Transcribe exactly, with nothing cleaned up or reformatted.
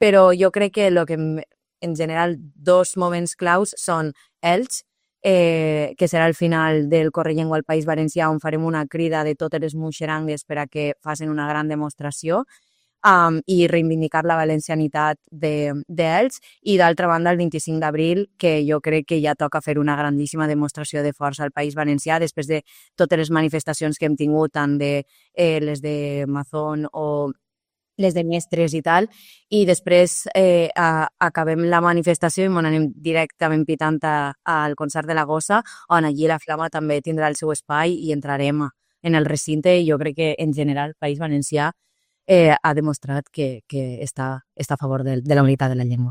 però jo crec que el que en general dos moments claus són Elx, eh, que serà el final del Correllengua al País Valencià, on farem una crida de totes les muixerangues per a que facin una gran demostració um, i reivindicar la valencianitat d'Elx. De, I d'altra banda, el vint-i-cinc d'abril, que jo crec que ja toca fer una grandíssima demostració de força al País Valencià, després de totes les manifestacions que hem tingut, tant de eh, les de Mazón o les de mestres i tal, i després eh, a, acabem la manifestació i ens anem directament pitant a, al concert de la Gossa, on allí la Flama també tindrà el seu espai i entrarem en el recinte, i jo crec que en general el País Valencià eh, ha demostrat que, que està, està a favor de, de la unitat de la llengua.